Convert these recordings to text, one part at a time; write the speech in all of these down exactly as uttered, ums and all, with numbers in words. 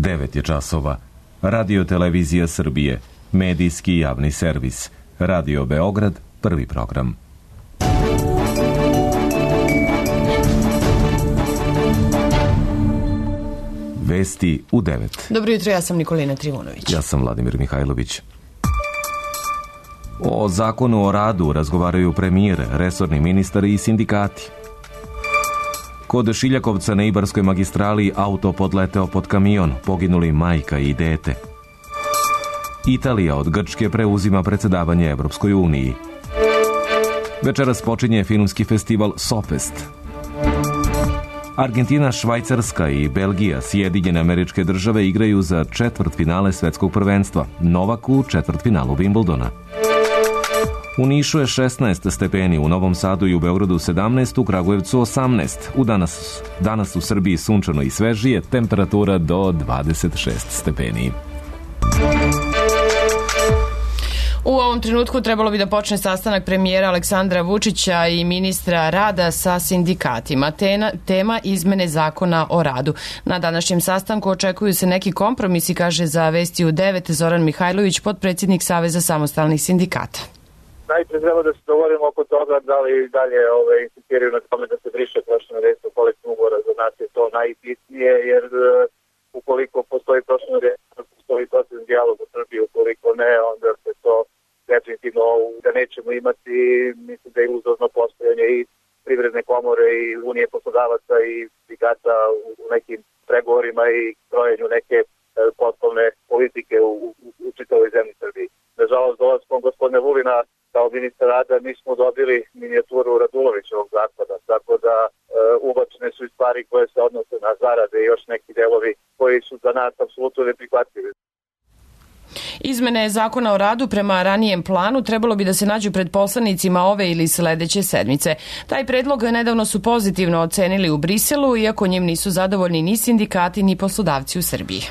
devet je časova. Radio Televizija Srbije, medijski javni servis. Radio Beograd, prvi program. Vesti u devet. Dobro jutro, ja sam Nikolina Trivunović. Ja sam Vladimir Mihajlović. O zakonu o radu razgovaraju premijer, resorni ministar i sindikati. Kod Šiljakovca na Ibarskoj magistrali auto podleteo pod kamion, poginuli majka i dete. Italija od Grčke preuzima predsedavanje Evropskoj uniji. Večeras počinje filmski festival Sopest. Argentina, Švajcarska i Belgija, Sjedinjene Američke Države igraju za četvrtfinale svetskog prvenstva. Novak u četvrtfinalu Wimbledona. U Nišu je šesnaest stepeni, u Novom Sadu i u Beogradu sedamnaest, u Kragujevcu osamnaest. U danas, danas u Srbiji sunčano i svežije, temperatura do dvadeset šest stepeni. U ovom trenutku trebalo bi da počne sastanak premijera Aleksandra Vučića i ministra rada sa sindikatima. Tema, tema izmene zakona o radu. Na današnjem sastanku očekuju se neki kompromisi, kaže za Vesti u devet Zoran Mihajlović, potpredsjednik Saveza samostalnih sindikata. Najprije treba da se dogovorimo oko toga da li dalje ove, insistiraju na tome da se briše prošljeno dejstvo kolektivnog ugovora. Za nas je to najbitnije, jer uh, ukoliko postoji prošljeno dejstvo, postoji proces dijalog u Srbiji, ukoliko ne, onda se to definitivno da nećemo imati, mislim da je iluzorno postojanje i privredne komore i unije poslodavaca i sindikata u nekim pregovorima i krojenju neke uh, poslovne politike u, u, u čitavoj zemlji Srbiji. Nažalost, dolaskom gospodine Vulina kao ministar rada mi smo dobili minijaturu Radulovićevog zakona, tako da e, ubačene su i stvari koje se odnose na zarade i još neki delovi koji su za nas apsolutno neprihvatljivi. Izmene zakona o radu prema ranijem planu trebalo bi da se nađu pred poslanicima ove ili sledeće sedmice. Taj predlog nedavno su pozitivno ocenili u Briselu, iako njim nisu zadovoljni ni sindikati ni poslodavci u Srbiji.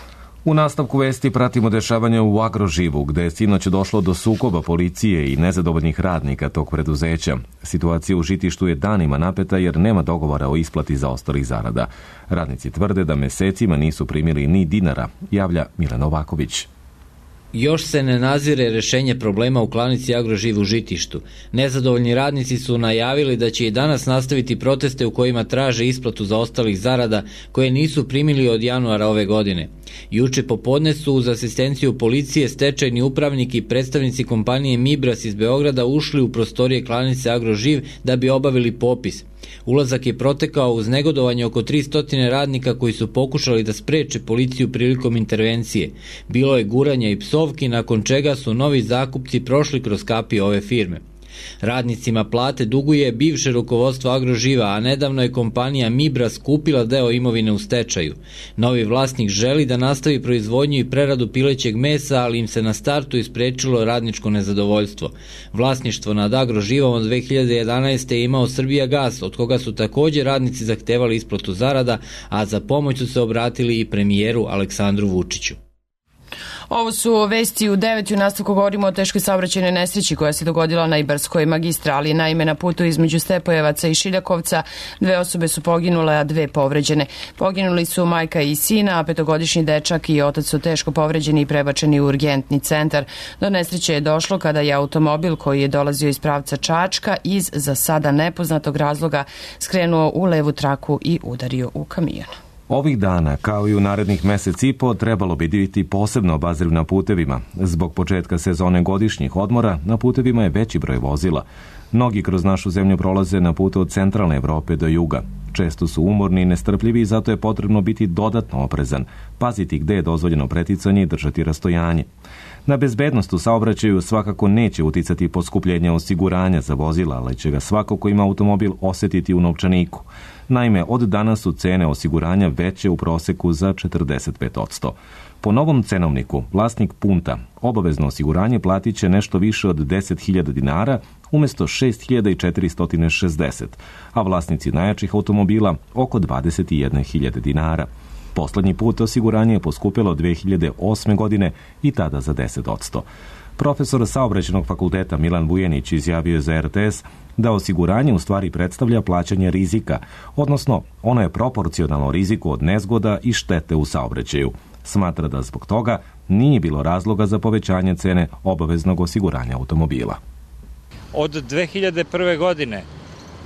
U nastavku vesti pratimo dešavanja u Agroživu, gde je sinoć došlo do sukoba policije i nezadovoljnih radnika tog preduzeća. Situacija u Žitištu je danima napeta jer nema dogovora o isplati zaostalih zarada. Radnici tvrde da mesecima nisu primili ni dinara, javlja Milan Novaković. Još se ne nazire rešenje problema u klanici Agroživ u Žitištu. Nezadovoljni radnici su najavili da će i danas nastaviti proteste u kojima traže isplatu zaostalih zarada koje nisu primili od januara ove godine. Juče popodne su uz asistenciju policije, stečajni upravnik i predstavnici kompanije Mibras iz Beograda ušli u prostorije klanice Agroživ da bi obavili popis. Ulazak je protekao uz negodovanje oko tristo radnika koji su pokušali da spreče policiju prilikom intervencije. Bilo je guranja i psovki, nakon čega su novi zakupci prošli kroz kapije ove firme. Radnicima plate duguje bivše rukovodstvo Agroživa, a nedavno je kompanija Mibras kupila deo imovine u stečaju. Novi vlasnik želi da nastavi proizvodnju i preradu pilećeg mesa, ali im se na startu isprečilo radničko nezadovoljstvo. Vlasništvo nad Agroživom od dve hiljade jedanaeste. je imao Srbijagas, od koga su također radnici zahtevali isplatu zarada, a za pomoć su se obratili i premijeru Aleksandru Vučiću. Ovo su Vesti u devet. U nastavku govorimo o teškoj saobraćajnoj nesreći koja se dogodila na Ibarskoj magistrali. Naime, na putu između Stepojevaca i Šiljakovca dve osobe su poginule, a dve povređene. Poginuli su majka i sina, a petogodišnji dečak i otac su teško povređeni i prebačeni u urgentni centar. Do nesreće je došlo kada je automobil koji je dolazio iz pravca Čačka iz za sada nepoznatog razloga skrenuo u levu traku i udario u kamion. Ovih dana, kao i u narednih mesec i po, trebalo bi biti posebno obazriv na putevima. Zbog početka sezone godišnjih odmora, na putevima je veći broj vozila. Mnogi kroz našu zemlju prolaze na putu od centralne Evrope do juga. Često su umorni i nestrpljivi i zato je potrebno biti dodatno oprezan, paziti gde je dozvoljeno preticanje i držati rastojanje. Na bezbednost u saobraćaju svakako neće uticati poskupljenje osiguranja za vozila, ali će ga svako ko ima automobil osetiti u novčaniku. Naime, od danas su cene osiguranja veće u proseku za četrdeset pet posto. Po novom cenovniku, vlasnik punta obavezno osiguranje platit će nešto više od deset hiljada dinara umjesto šest hiljada četiristo šezdeset, a vlasnici najjačih automobila oko dvadeset jedne hiljade dinara. Poslednji put osiguranje je poskupilo dve hiljade osme. godine i tada za deset posto. Profesor Saobraćajnog fakulteta Milan Vujenić izjavio je za er te es da osiguranje u stvari predstavlja plaćanje rizika, odnosno ono je proporcionalno riziku od nezgoda i štete u saobraćaju. smatra da zbog toga nije bilo razloga za povećanje cene obaveznog osiguranja automobila. Od dve hiljade prve. godine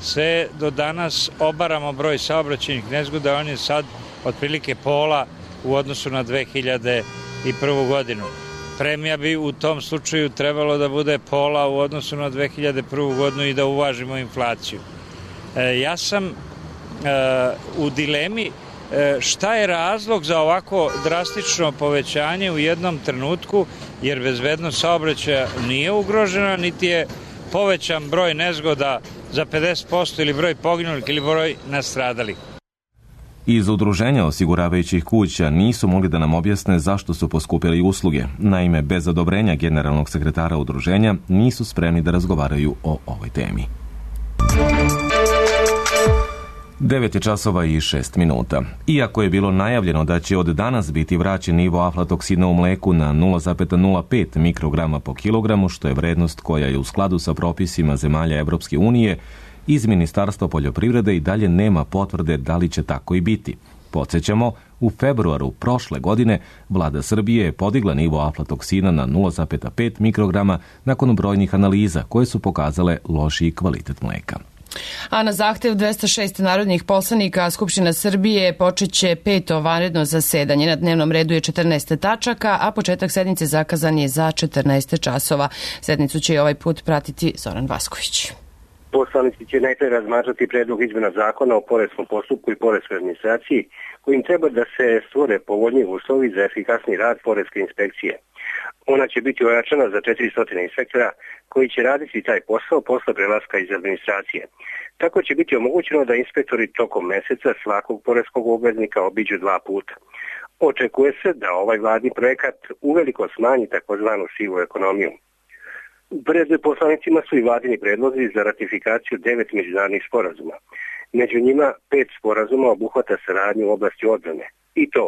sve do danas obaramo broj saobraćajnih nezgoda, on je sad otprilike pola u odnosu na dve hiljade prvu. godinu. Premija bi u tom slučaju trebalo da bude pola u odnosu na dve hiljade prvu. godinu i da uvažimo inflaciju. E, ja sam e, u dilemi e, šta je razlog za ovako drastično povećanje u jednom trenutku, jer bezbednost saobraćaja nije ugrožena, niti je povećan broj nezgoda za pedeset posto ili broj poginulih ili broj nastradalih. Iz udruženja osiguravajućih kuća nisu mogli da nam objasne zašto su poskupili usluge. Naime, bez odobrenja generalnog sekretara udruženja nisu spremni da razgovaraju o ovoj temi. devet je časova i šest minuta. Iako je bilo najavljeno da će od danas biti vraćen nivo aflatoksina u mleku na nula zarez nula pet mikrograma po kilogramu, što je vrednost koja je u skladu sa propisima zemalja Evropske unije, iz Ministarstva poljoprivrede i dalje nema potvrde da li će tako i biti. Podsjećamo, u februaru prošle godine vlada Srbije je podigla nivo aflatoksina na nula zarez pet mikrograma nakon brojnih analiza koje su pokazale lošiji kvalitet mleka. A na zahtev dvesta šest narodnih poslanika Skupština Srbije počeće peto vanredno zasedanje. Na dnevnom redu je četrnaest tačaka, a početak sednice zakazan je za četrnaest časova. Sednicu će i ovaj put pratiti Zoran Vasković. Poslanici će najpre razmatrati predlog izmena zakona o poreskom postupku i poreskoj administraciji, kojim treba da se stvore povoljniji uslovi za efikasni rad poreske inspekcije. Ona će biti ojačana za četiristo inspektora koji će raditi taj posao posle prelaska iz administracije. Tako će biti omogućeno da inspektori tokom meseca svakog poreskog obveznika obiđu dva puta. Očekuje se da ovaj vladni projekat uveliko smanji takozvanu sivu ekonomiju. Pred poslanicima su i vladini predlozi za ratifikaciju devet međunarodnih sporazuma. Među njima pet sporazuma obuhvata saradnju u oblasti odbrane. I to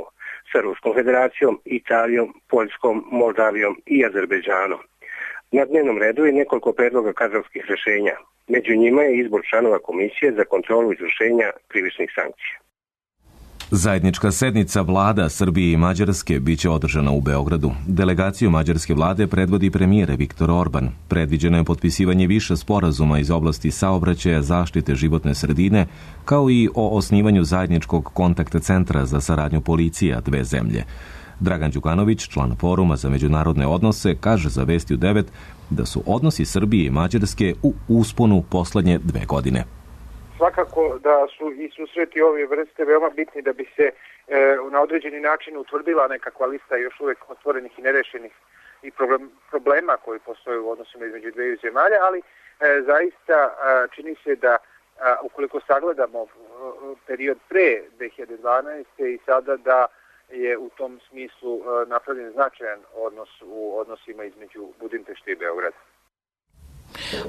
sa Ruskom federacijom, Italijom, Poljskom, Moldavijom i Azerbejdžanom. Na dnevnom redu je nekoliko predloga kadrovskih rešenja. Među njima je izbor članova Komisije za kontrolu izvršenja krivičnih sankcija. Zajednička sednica vlada Srbije i Mađarske biće održana u Beogradu. Delegaciju mađarske vlade predvodi premijer Viktor Orban. Predviđeno je potpisivanje više sporazuma iz oblasti saobraćaja, zaštite životne sredine, kao i o osnivanju zajedničkog kontakta centra za saradnju policija dve zemlje. Dragan Đukanović, član Foruma za međunarodne odnose, kaže za Vesti u devet da su odnosi Srbije i Mađarske u usponu poslednje dve godine. Svakako da su i susreti ove vrste veoma bitni da bi se e, na određeni način utvrdila nekakva lista još uvek otvorenih i nerešenih i problem, problema koji postoje u odnosima između dveju zemalja, ali e, zaista a, čini se da a, ukoliko sagledamo a, period pre dve hiljade dvanaeste. i sada da je u tom smislu a, napravljen značajan odnos u odnosima između Budimpešte i Beograda.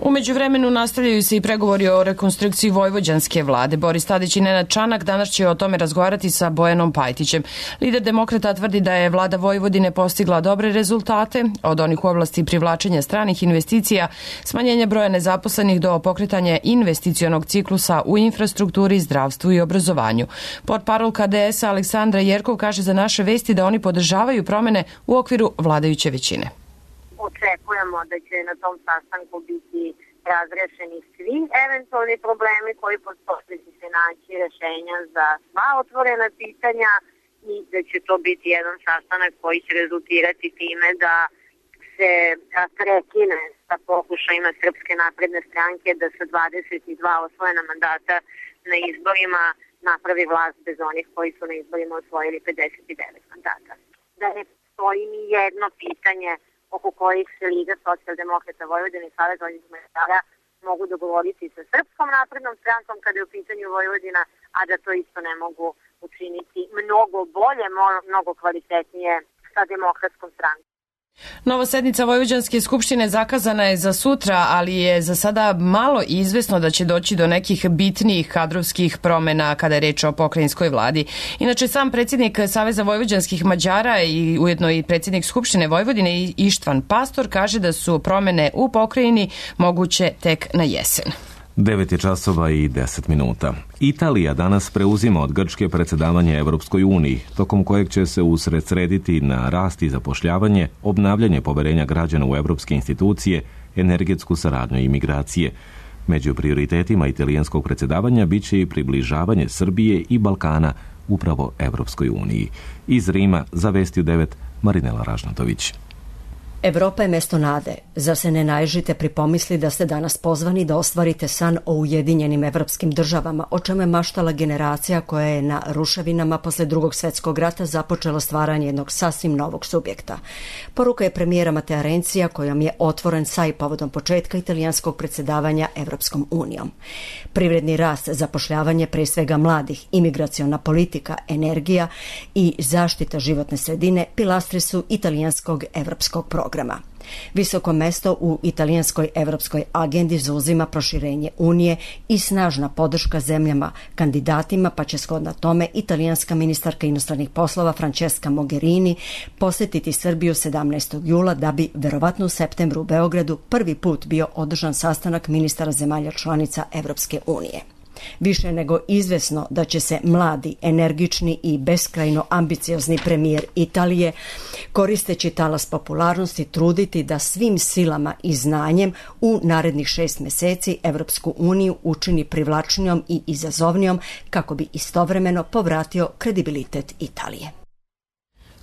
U međuvremenu nastavljaju se i pregovori o rekonstrukciji vojvođanske vlade. Boris Tadić i Nenad Čanak danas će o tome razgovarati sa Bojanom Pajtićem. Lider demokrata tvrdi da je vlada Vojvodine postigla dobre rezultate, od onih u oblasti privlačenja stranih investicija, smanjenja broja nezaposlenih do pokretanja investicionog ciklusa u infrastrukturi, zdravstvu i obrazovanju. Portparol K D S-a Aleksandra Jerkov kaže za naše vesti da oni podržavaju promene u okviru vladajuće većine. Očekujemo da će na tom sastanku biti razrešeni svi eventualni problemi koji postoje, da će se naći rešenja za sva otvorena pitanja i da će to biti jedan sastanak koji će rezultirati time da se prekine sa pokušajima Srpske napredne stranke da sa dvadeset dva osvojena mandata na izborima napravi vlast bez onih koji su na izborima osvojili pedeset devet mandata. Da ne postoji ni jedno pitanje oko kojih se Liga socijaldemokrata Vojvodine i Savez vojnih metara mogu dogovoriti sa Srpskom naprednom strankom kada je u pitanju Vojvodina, a da to isto ne mogu učiniti mnogo bolje, mnogo kvalitetnije sa Demokratskom strankom. Nova sednica Vojvođanske skupštine zakazana je za sutra, ali je za sada malo izvesno da će doći do nekih bitnijih kadrovskih promena kada je reč o pokrajinskoj vladi. Inače, sam predsjednik Saveza vojvođanskih Mađara i ujedno i predsjednik Skupštine Vojvodine Ištvan Pastor kaže da su promene u pokrajini moguće tek na jesen. devet je časova i deset minuta. Italija danas preuzima od Grčke predsjedavanje Evropskoj uniji, tokom kojeg će se usredsrediti na rast i zapošljavanje, obnavljanje poverenja građana u evropske institucije, energetsku saradnju i migracije. Među prioritetima italijanskog predsjedavanja bit će i približavanje Srbije i Balkana upravo Evropskoj uniji. Iz Rima za Vesti u devet Marinela Ražnatović. Evropa je mesto nade. Zar se ne naježite pri pomisli da ste danas pozvani da ostvarite san o ujedinjenim evropskim državama, o čemu je maštala generacija koja je na ruševinama posle drugog svjetskog rata započela stvaranje jednog sasvim novog subjekta. Poruka je premijera Matea Renzija kojom je otvoren saj povodom početka italijanskog predsjedavanja Evropskom unijom. Privredni rast, zapošljavanje pre svega mladih, imigraciona politika, energija i zaštita životne sredine pilastri su italijanskog evropskog programa. Visoko mesto u italijanskoj evropskoj agendi zauzima proširenje Unije i snažna podrška zemljama kandidatima, pa će shodno tome italijanska ministarka inostranih poslova Francesca Mogherini posjetiti Srbiju sedamnaestog jula da bi verovatno u septembru u Beogradu prvi put bio održan sastanak ministara zemalja članica Evropske unije. Više nego izvesno da će se mladi, energični i beskrajno ambiciozni premijer Italije, koristeći talas popularnosti, truditi da svim silama i znanjem u narednih šest meseci Evropsku uniju učini privlačnijom i izazovnijom kako bi istovremeno povratio kredibilitet Italije.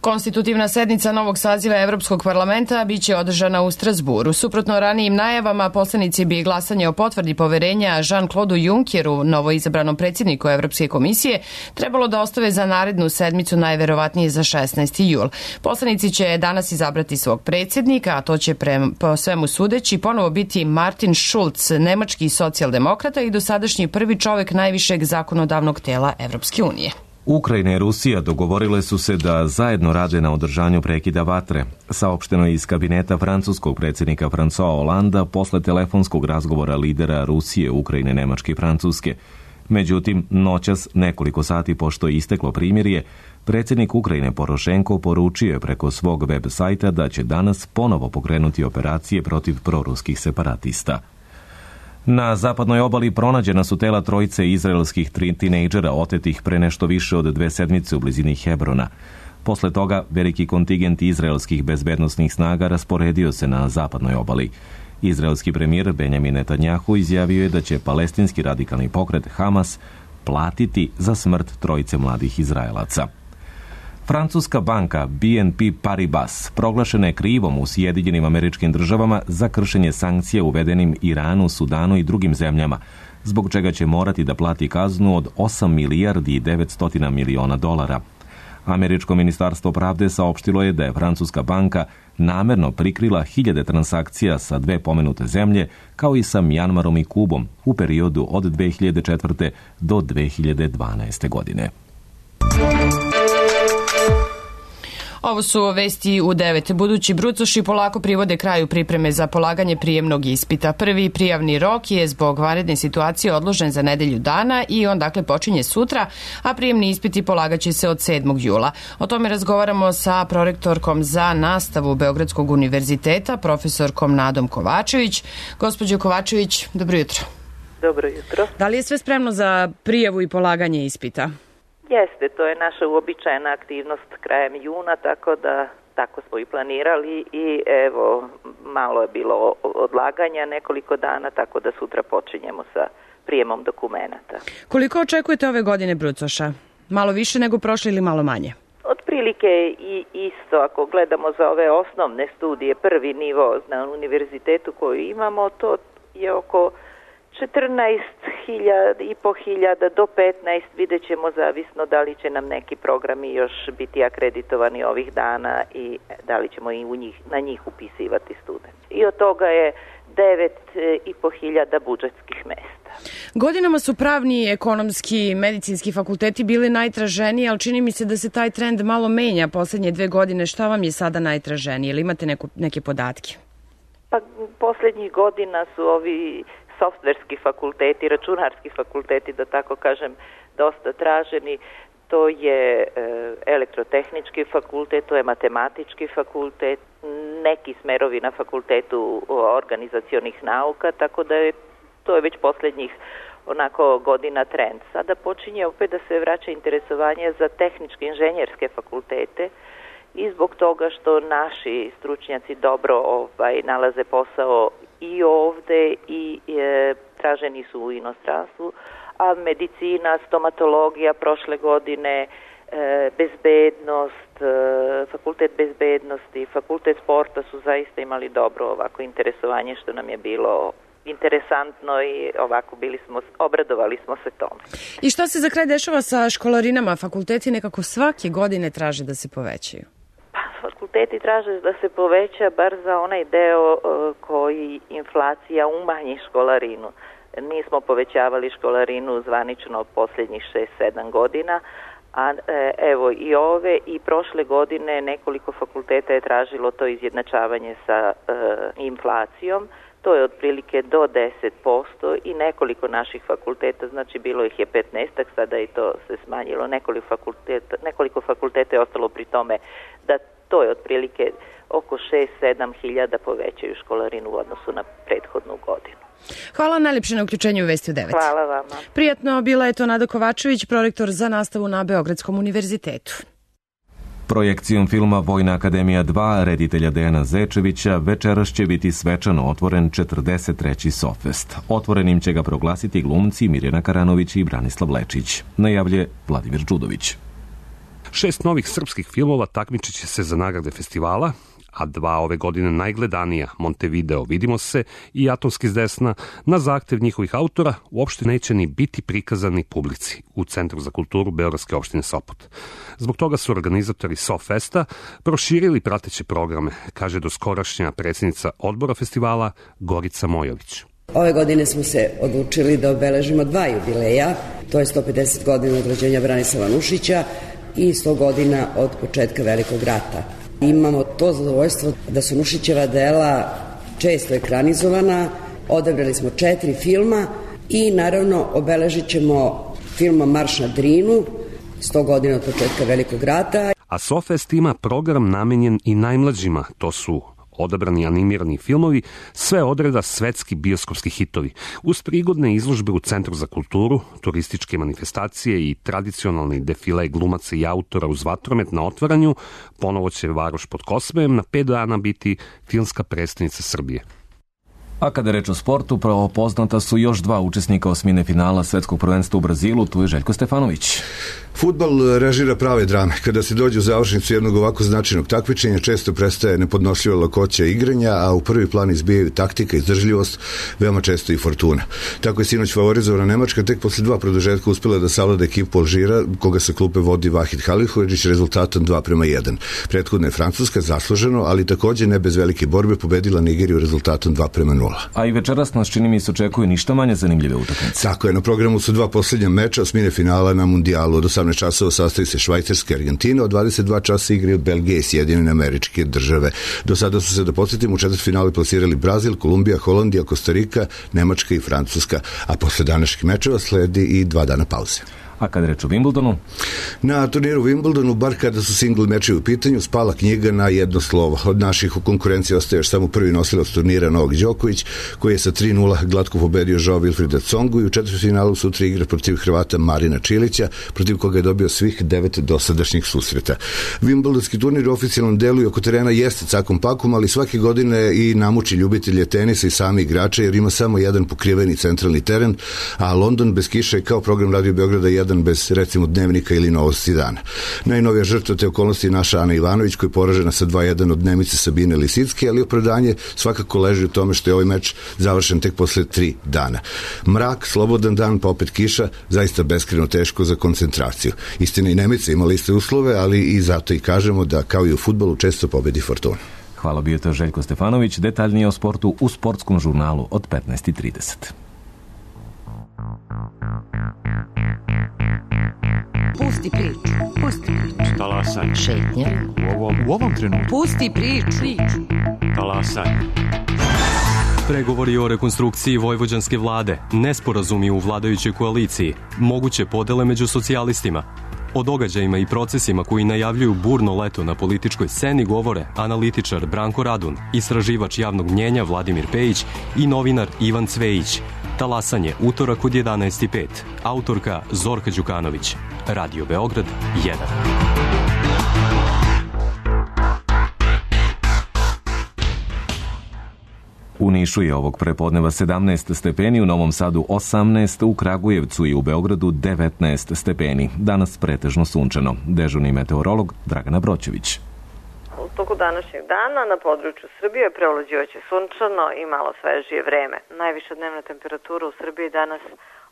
Konstitutivna sednica novog saziva Evropskog parlamenta biće održana u Strasburu. Suprotno ranijim najavama, poslanici bi glasanje o potvrdi poverenja Jean-Claude Junckeru, novoizabranom predsjedniku Evropske komisije, trebalo da ostave za narednu sedmicu, najverovatnije za šesnaesti jul. Poslanici će danas izabrati svog predsjednika, a to će pre, po svemu sudeći ponovo biti Martin Schulz, nemački socijaldemokrata i dosadašnji prvi čovek najvišeg zakonodavnog tela Evropske unije. Ukrajina i Rusija dogovorile su se da zajedno rade na održanju prekida vatre. Saopšteno je iz kabineta francuskog predsjednika François Hollanda posle telefonskog razgovora lidera Rusije, Ukrajine, Nemačke i Francuske. Međutim, noćas, nekoliko sati pošto je isteklo primirje, predsjednik Ukrajine Porošenko poručio je preko svog web sajta da će danas ponovo pokrenuti operacije protiv proruskih separatista. Na zapadnoj obali pronađena su tela trojice izraelskih tri tinejdžera otetih pre nešto više od dve sedmice u blizini Hebrona. Posle toga, veliki kontingent izraelskih bezbednosnih snaga rasporedio se na zapadnoj obali. Izraelski premijer Benjamin Netanjahu izjavio je da će palestinski radikalni pokret Hamas platiti za smrt trojice mladih Izraelaca. Francuska banka B N P Paribas proglašena je krivom u Sjedinjenim Američkim Državama za kršenje sankcija uvedenim Iranu, Sudanu i drugim zemljama, zbog čega će morati da plati kaznu od osam milijardi i devetsto miliona dolara. Američko ministarstvo pravde saopštilo je da je francuska banka namerno prikrila hiljade transakcija sa dve pomenute zemlje, kao i sa Mjanmarom i Kubom u periodu od dve hiljade četvrte do dve hiljade dvanaeste godine. Ovo su vesti u devet. Budući brucoši polako privode kraju pripreme za polaganje prijemnog ispita. Prvi prijavni rok je zbog vanredne situacije odložen za nedelju dana i on dakle počinje sutra, a prijemni ispiti polagaće se od sedmog jula. O tome razgovaramo sa prorektorkom za nastavu Beogradskog univerziteta, profesorkom Nadom Kovačević. Gospođo Kovačević, dobro jutro. Dobro jutro. Da li je sve spremno za prijavu i polaganje ispita? Jeste, to je naša uobičajena aktivnost krajem juna, tako da tako smo i planirali i evo, malo je bilo odlaganja nekoliko dana, tako da sutra počinjemo sa prijemom dokumenata. Koliko očekujete ove godine brucoša? Malo više nego prošle ili malo manje? Otprilike i isto, ako gledamo za ove osnovne studije, prvi nivo na univerzitetu koji imamo, to je oko četrnaest i po hiljada do petnaest, vidjet ćemo zavisno da li će nam neki programi još biti akreditovani ovih dana i da li ćemo i u njih, na njih upisivati studente. I od toga je devet i po hiljada budžetskih mesta. Godinama su pravni, ekonomski, medicinski fakulteti bili najtraženiji, ali čini mi se da se taj trend malo menja poslednje dve godine. Šta vam je sada najtraženije? Ili imate neku, neke podatke? Pa poslednjih godina su ovi softverski fakulteti, računarski fakulteti, da tako kažem, dosta traženi. To je e, elektrotehnički fakultet, to je matematički fakultet, neki smerovi na fakultetu organizacionih nauka, tako da je to je već posljednjih onako godina trend. Sada počinje opet da se vraća interesovanje za tehničke inženjerske fakultete i zbog toga što naši stručnjaci dobro ovaj, nalaze posao i ovde i e, traženi su u inostranstvu, a medicina, stomatologija prošle godine, e, bezbednost, e, fakultet bezbednosti, fakultet sporta su zaista imali dobro ovako interesovanje, što nam je bilo interesantno i ovako bili smo, obradovali smo se tome. I što se za kraj dešava sa školarinama? Fakulteti nekako svake godine traže da se povećaju. Pa, fakulteti traže da se poveća bar za onaj deo uh, koji inflacija umanji školarinu. Nismo povećavali školarinu zvanično posljednjih šest sedam godina, a e, evo i ove i prošle godine nekoliko fakulteta je tražilo to izjednačavanje sa e, inflacijom. To je otprilike do deset posto i nekoliko naših fakulteta, znači bilo ih je petnaestak, sada i to se smanjilo, nekoliko fakulteta, nekoliko fakulteta je ostalo pri tome da to je otprilike oko šest sedam hiljada povećaju školarinu u odnosu na prethodnu godinu. Hvala najljepše na uključenju u Vesti u devet. Hvala vama. Prijatno, bila je to Nada Kovačević, prorektor za nastavu na Beogradskom univerzitetu. Projekcijom filma Vojna akademija dva reditelja Dejana Zečevića večeras će biti svečano otvoren četrdeset treći Sofest. Otvorenim će ga proglasiti glumci Mirjana Karanović i Branislav Lečić, najavlje Vladimir Đudović. Šest novih srpskih filmova takmičit će se za nagrade festivala, a dva ove godine najgledanija, Montevideo, Vidimo se i Atomski s desna, na zahtev njihovih autora uopšte neće ni biti prikazani publici u Centru za kulturu Beogradske opštine Sopot. Zbog toga su organizatori Sofesta proširili prateće programe, kaže doskorašnja predsjednica odbora festivala Gorica Mojović. Ove godine smo se odlučili da obeležimo dva jubileja, to je sto pedeset godina od rođenja Branislava Nušića i sto godina od početka Velikog rata. Imamo to zadovoljstvo da su Nušićeva dela često ekranizovana, odabrali smo četiri filma i naravno obeležit ćemo filmom Marš na Drinu, sto godina od početka Velikog rata. A Sofest ima program namenjen i najmlađima, to su odabrani animirani filmovi, sve odreda svetski bioskopski hitovi, uz prigodne izložbe u Centru za kulturu, turističke manifestacije i tradicionalni defile glumaca i autora uz vatromet na otvaranju. Ponovo će Varoš pod Kosmejem na pet dana biti filmska predstavnica Srbije. A kada je reč o sportu, pravo poznata su još dva učesnika osmine finala svetskog prvenstva u Brazilu, tu je Željko Stefanović. Fudbal režira prave drame. Kada se dođe u završnicu jednog ovako značajnog takmičenja, često prestaje nepodnošljiva lakoća igranja, a u prvi plan izbijaju taktika, izdržljivost, veoma često i fortuna. Tako je sinoć favorizovana Nemačka, tek posle dva produžetka uspela da savlada ekipu Alžira, koga sa klupe vodi Vahid Halilović rezultatom dva prema jedan. Prethodna je Francuska zasluženo, ali takođe ne bez velike borbe pobedila Nigeriju rezultatom dva prema nula. A i večeras nas čini mi se očekuje ništa manje zanimljive utakmice. Tako je, na programu su dva posljednja meča osmine finala na mundijalu. Od osamnaest časova sastavi se Švajcarska i Argentina, od dvadeset dva časa igre od Belgije i Sjedinjene Američke Države. Do sada su se, da podsjetimo, u četvrtfinalu plasirali Brazil, Kolumbija, Holandija, Kostarika, Nemačka i Francuska, a posle današnjih mečeva sledi i dva dana pauze. A kada reč o Wimbledonu? Na turniru Wimbledonu, bar kada su single mečevi u pitanju, spala knjiga na jedno slovo. Od naših u konkurenciji ostaje još samo prvi nosilac turnira Novak Đoković, koji je sa tri nula glatko pobedio Joao Wilfrida Tsongu i u četvrtfinalu sutra igra protiv Hrvata Marina Čilića, protiv koga je dobio svih devet dosadašnjih susreta. Wimbledonski turnir u oficijalnom delu i oko terena jeste cakom pakom, ali svake godine i namuči ljubitelje tenisa i sami igrače, jer ima samo jedan pokriveni centralni teren, a London bez kiše je kao program Radio Beograda jedan bez, recimo, dnevnika ili novosti dana. Najnovija žrtva te okolnosti je naša Ana Ivanović, koja je poražena sa dva jedan od dnevnice Sabine Lisicke, ali opravdanje svakako leži u tome što je ovaj meč završen tek posle tri dana. Mrak, slobodan dan, pa opet kiša, zaista beskrajno teško za koncentraciju. Istina, i Nemica imala iste uslove, ali i zato i kažemo da, kao i u fudbalu, često pobedi fortuna. Hvala, bio to Željko Stefanović, detaljnije o sportu u sportskom žurnalu od petnaest i trideset. Pusti priču, pusti priču. Talasaj. Šetnja. U ovom, u ovom trenutku. Pusti priču. Talasaj. Pregovori o rekonstrukciji vojvođanske vlade, nesporazumi u vladajućoj koaliciji, moguće podele među socijalistima. O događajima i procesima koji najavljuju burno leto na političkoj sceni govore analitičar Branko Radun, istraživač javnog mnjenja Vladimir Pejić i novinar Ivan Cvejić. Talasanje utorak od jedanaest i pet. Autorka Zorka Đukanović. Radio Beograd jedan. U Nišu je ovog prepodneva sedamnaest stepeni, u Novom Sadu osamnaest, u Kragujevcu i u Beogradu devetnaest stepeni. Danas pretežno sunčano. Dežurni meteorolog Dragana Broćević. U toku današnjeg dana na području Srbije preovlađivaće sunčano i malo svežije vreme. Najviša dnevna temperatura u Srbiji danas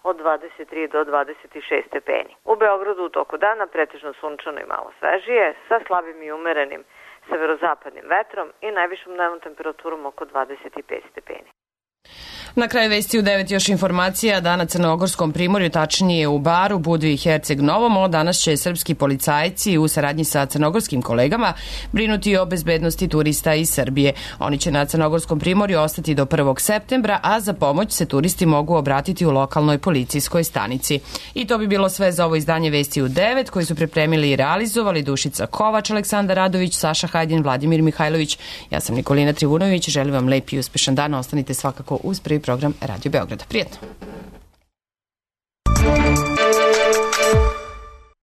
od dvadeset tri do dvadeset šest stepeni. U Beogradu u toku dana pretežno sunčano i malo svežije sa slabim i umerenim severozapadnim vetrom i najvišom dnevnom temperaturom oko dvadeset pet stepeni. Na kraju vesti u devet još informacija da na Crnogorskom primorju, tačnije u Baru, Budvi i Herceg Novom, danas će srpski policajci u saradnji sa crnogorskim kolegama brinuti o bezbednosti turista iz Srbije. Oni će na Crnogorskom primorju ostati do prvog septembra, a za pomoć se turisti mogu obratiti u lokalnoj policijskoj stanici. I to bi bilo sve za ovo izdanje Vesti u devet, koji su pripremili i realizovali Dušica Kovač, Aleksandar Radović, Saša Hajdin, Vladimir Mihajlović. Ja sam Nikolina Trivunović, želim vam lep i uspešan dan, ostanite svakako uz prvi program Radio Beograda. Prijetno!